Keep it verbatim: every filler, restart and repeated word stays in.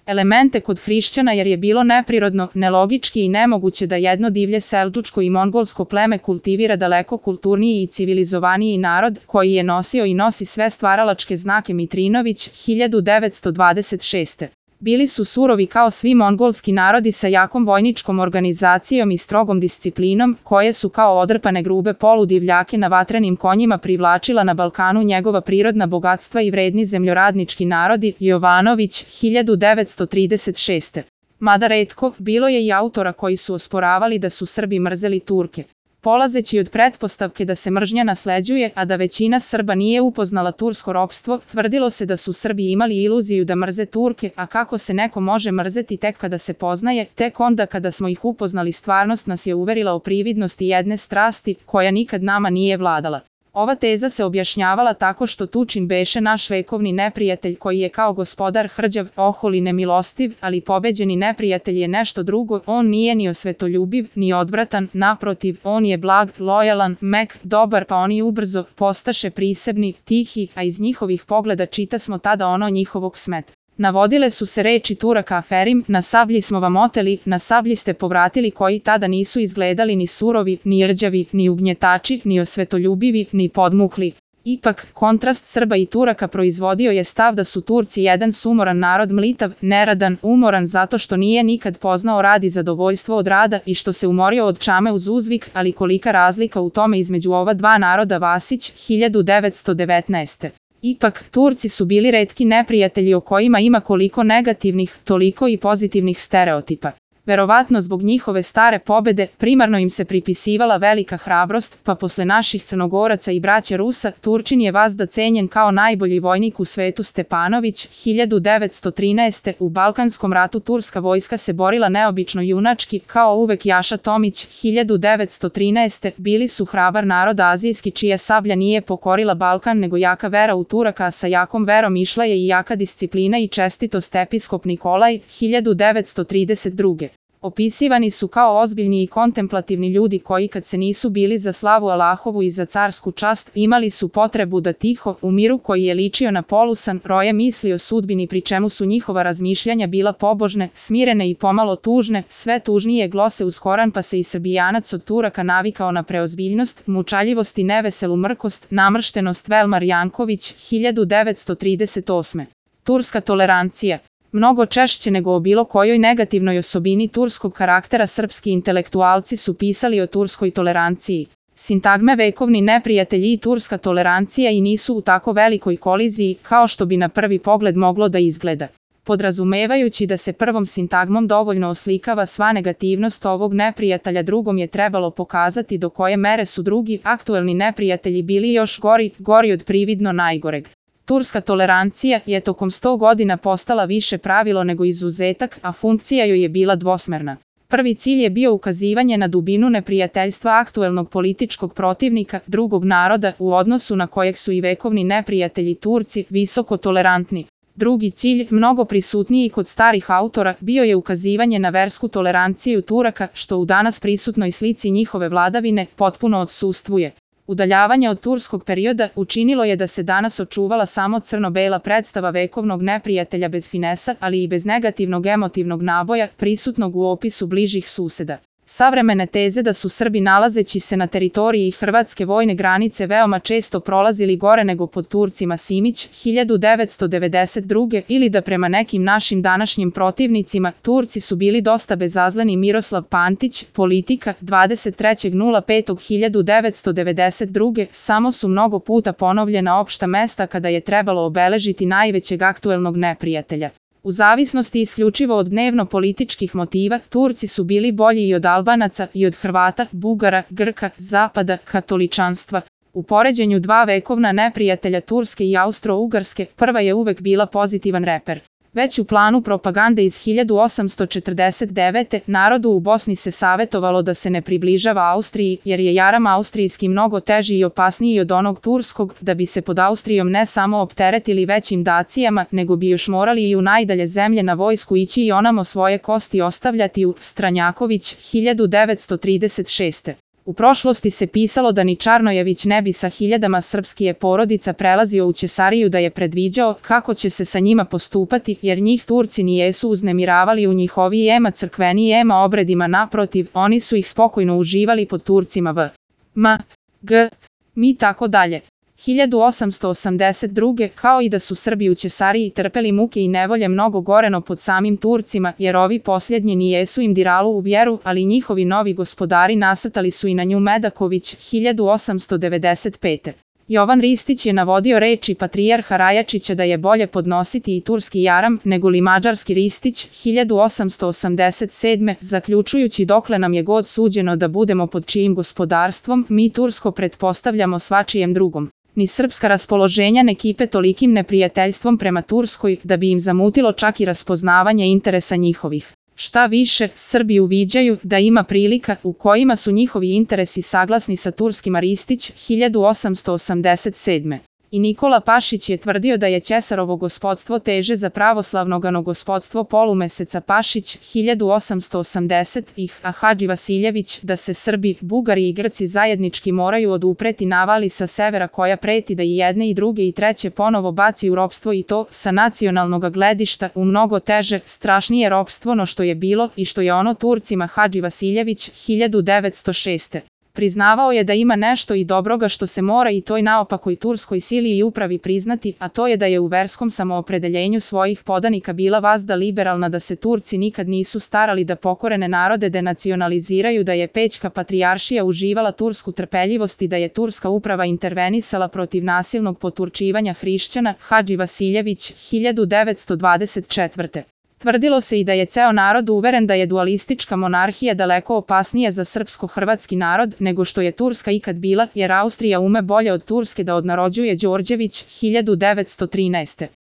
elemente kod hrišćana jer je bilo neprirodno, nelogički i nemoguće da jedno divlje seldžučko i mongolsko pleme kultivira daleko kulturniji i civilizovaniji narod koji je nosio i nosi sve stvaralačke znake. Mitrinović, hiljadu devetsto dvadeset šeste. Bili su surovi kao svi mongolski narodi sa jakom vojničkom organizacijom i strogom disciplinom, koje su kao odrpane grube poludivljake na vatrenim konjima privlačila na Balkanu njegova prirodna bogatstva i vredni zemljoradnički narodi. Jovanović, hiljadu devetsto trideset šeste. Mada retko, bilo je i autora koji su osporavali da su Srbi mrzeli Turke. Polazeći od pretpostavke da se mržnja nasleđuje, a da većina Srba nije upoznala tursko ropstvo, tvrdilo se da su Srbi imali iluziju da mrze Turke, a kako se neko može mrzeti tek kada se poznaje, tek onda kada smo ih upoznali stvarnost nas je uverila o prividnosti jedne strasti, koja nikad nama nije vladala. Ova teza se objašnjavala tako što Tučin beše naš vekovni neprijatelj koji je kao gospodar hrđav, ohol i nemilostiv, ali pobeđeni neprijatelj je nešto drugo, on nije ni osvetoljubiv, ni odvratan, naprotiv, on je blag, lojalan, mek, dobar pa oni ubrzo postaše prisebni, tihi, a iz njihovih pogleda čita smo tada ono njihovog smeta. Navodile su se reči Turaka Aferim, na sablji smo vam oteli, na sablji ste povratili koji tada nisu izgledali ni surovi, ni rđavi, ni ugnjetači, ni osvetoljubivi, ni podmukli. Ipak, kontrast Srba i Turaka proizvodio je stav da su Turci jedan sumoran narod, mlitav, neradan, umoran zato što nije nikad poznao rad i zadovoljstvo od rada i što se umorio od čame uz uzvik, ali kolika razlika u tome između ova dva naroda. Vasić, hiljadu devetsto devetnaeste. Ipak, Turci su bili retki neprijatelji o kojima ima koliko negativnih, toliko i pozitivnih stereotipa. Verovatno zbog njihove stare pobede, primarno im se pripisivala velika hrabrost, pa posle naših Crnogoraca i braće Rusa, Turčin je vazda cenjen kao najbolji vojnik u svetu. Stepanović, hiljadu devetsto trinaeste. U Balkanskom ratu turska vojska se borila neobično junački, kao uvek. Jaša Tomić, hiljadu devetsto trinaeste. Bili su hrabar narod azijski čija sablja nije pokorila Balkan nego jaka vera u Turaka, a sa jakom verom išla je i jaka disciplina i čestitost. Episkop Nikolaj, hiljadu devetsto trideset druge. Opisivani su kao ozbiljni i kontemplativni ljudi koji kad se nisu bili za slavu Allahovu i za carsku čast, imali su potrebu da tiho, u miru koji je ličio na polusan, roje misli o sudbini pri čemu su njihova razmišljanja bila pobožne, smirene i pomalo tužne, sve tužnije glose uz Koran pa se i Srbijanac od Turaka navikao na preozbiljnost, mučaljivost i neveselu mrkost, namrštenost. Velmar Janković, hiljadu devetsto trideset osme. Turska tolerancija. Mnogo češće nego o bilo kojoj negativnoj osobini turskog karaktera srpski intelektualci su pisali o turskoj toleranciji. Sintagme vekovni neprijatelji i turska tolerancija i nisu u tako velikoj koliziji kao što bi na prvi pogled moglo da izgleda. Podrazumevajući da se prvom sintagmom dovoljno oslikava sva negativnost ovog neprijatelja, drugom je trebalo pokazati do koje mere su drugi aktuelni neprijatelji bili još gori, gori od prividno najgoreg. Turska tolerancija je tokom sto godina postala više pravilo nego izuzetak, a funkcija joj je bila dvosmerna. Prvi cilj je bio ukazivanje na dubinu neprijateljstva aktuelnog političkog protivnika, drugog naroda, u odnosu na kojeg su i vekovni neprijatelji Turci visoko tolerantni. Drugi cilj, mnogo prisutniji kod starih autora, bio je ukazivanje na versku toleranciju Turaka, što u danas prisutnoj slici njihove vladavine potpuno odsustvuje. Udaljavanje od turskog perioda učinilo je da se danas očuvala samo crno-bela predstava vekovnog neprijatelja bez finesa, ali i bez negativnog emotivnog naboja, prisutnog u opisu bližih suseda. Savremene teze da su Srbi nalazeći se na teritoriji hrvatske vojne granice veoma često prolazili gore nego pod Turcima. Simić, hiljadu devetsto devedeset druge. Ili da prema nekim našim današnjim protivnicima, Turci su bili dosta bezazleni. Miroslav Pantić, Politika, dvadeset trećeg petog hiljadu devetsto devedeset druge. Samo su mnogo puta ponovljena opšta mesta kada je trebalo obeležiti najvećeg aktuelnog neprijatelja. U zavisnosti isključivo od dnevno-političkih motiva, Turci su bili bolji i od Albanaca, i od Hrvata, Bugara, Grka, Zapada, katoličanstva. U poređenju dva vekovna neprijatelja Turske i Austro-Ugarske, prva je uvek bila pozitivan reper. Već u planu propagande iz hiljadu osamsto četrdeset devete. narodu u Bosni se savetovalo da se ne približava Austriji, jer je jaram austrijski mnogo teži i opasniji od onog turskog, da bi se pod Austrijom ne samo opteretili većim dacijama, nego bi još morali i u najdalje zemlje na vojsku ići i onamo svoje kosti ostavljati. U Stranjaković, hiljadu devetsto trideset šeste. U prošlosti se pisalo da ni Čarnojević ne bi sa hiljadama srpskih porodica prelazio u Ćesariju, da je predviđao kako će se sa njima postupati, jer njih Turci nijesu uznemiravali u njihovijema crkvenijema obredima, naprotiv, oni su ih spokojno uživali pod Turcima v. M. G. Mi tako dalje. hiljadu osamsto osamdeset druge. Kao i da su Srbi u Ćesariji trpeli muke i nevolje mnogo goreno pod samim Turcima, jer ovi posljednji nijesu im diralo u vjeru, ali njihovi novi gospodari nasrtali su i na nju. Medaković, hiljadu osamsto devedeset pete. Jovan Ristić je navodio reči patrijarha Rajačića da je bolje podnositi i turski jaram nego li mađarski Ristić, hiljadu osamsto osamdeset sedme. Zaključujući dokle nam je god suđeno da budemo pod čijim gospodarstvom, mi Tursko pretpostavljamo svačijem drugom. Ni srpska raspoloženja ne kipe tolikim neprijateljstvom prema Turskoj da bi im zamutilo čak i raspoznavanje interesa njihovih. Šta više, Srbi uviđaju da ima prilika u kojima su njihovi interesi saglasni sa turskima. Ristić, hiljadu osamsto osamdeset sedme. I Nikola Pašić je tvrdio da je Ćesarovo gospodstvo teže za pravoslavnogano gospodstvo polumeseca. Pašić, hiljadu osamsto osamdeset. ih, a Hadži Vasiljević da se Srbi, Bugari i Grci zajednički moraju odupreti navali sa severa koja preti da i jedne i druge i treće ponovo baci u ropstvo, i to, sa nacionalnog gledišta, u mnogo teže, strašnije ropstvo no što je bilo i što je ono Turcima. Hadži Vasiljević, hiljadu devetsto šeste. Priznavao je da ima nešto i dobroga što se mora i toj naopakoj turskoj sili i upravi priznati, a to je da je u verskom samoopredeljenju svojih podanika bila vazda liberalna, da se Turci nikad nisu starali da pokorene narode denacionaliziraju, da je Pećka patrijaršija uživala tursku trpeljivost i da je turska uprava intervenisala protiv nasilnog poturčivanja hrišćana. Hadži Vasiljević, hiljadu devetsto dvadeset četvrte. Tvrdilo se i da je ceo narod uveren da je dualistička monarhija daleko opasnija za srpsko-hrvatski narod nego što je Turska ikad bila, jer Austrija ume bolje od Turske da odnarođuje. Đorđević, hiljadu devetsto trinaeste.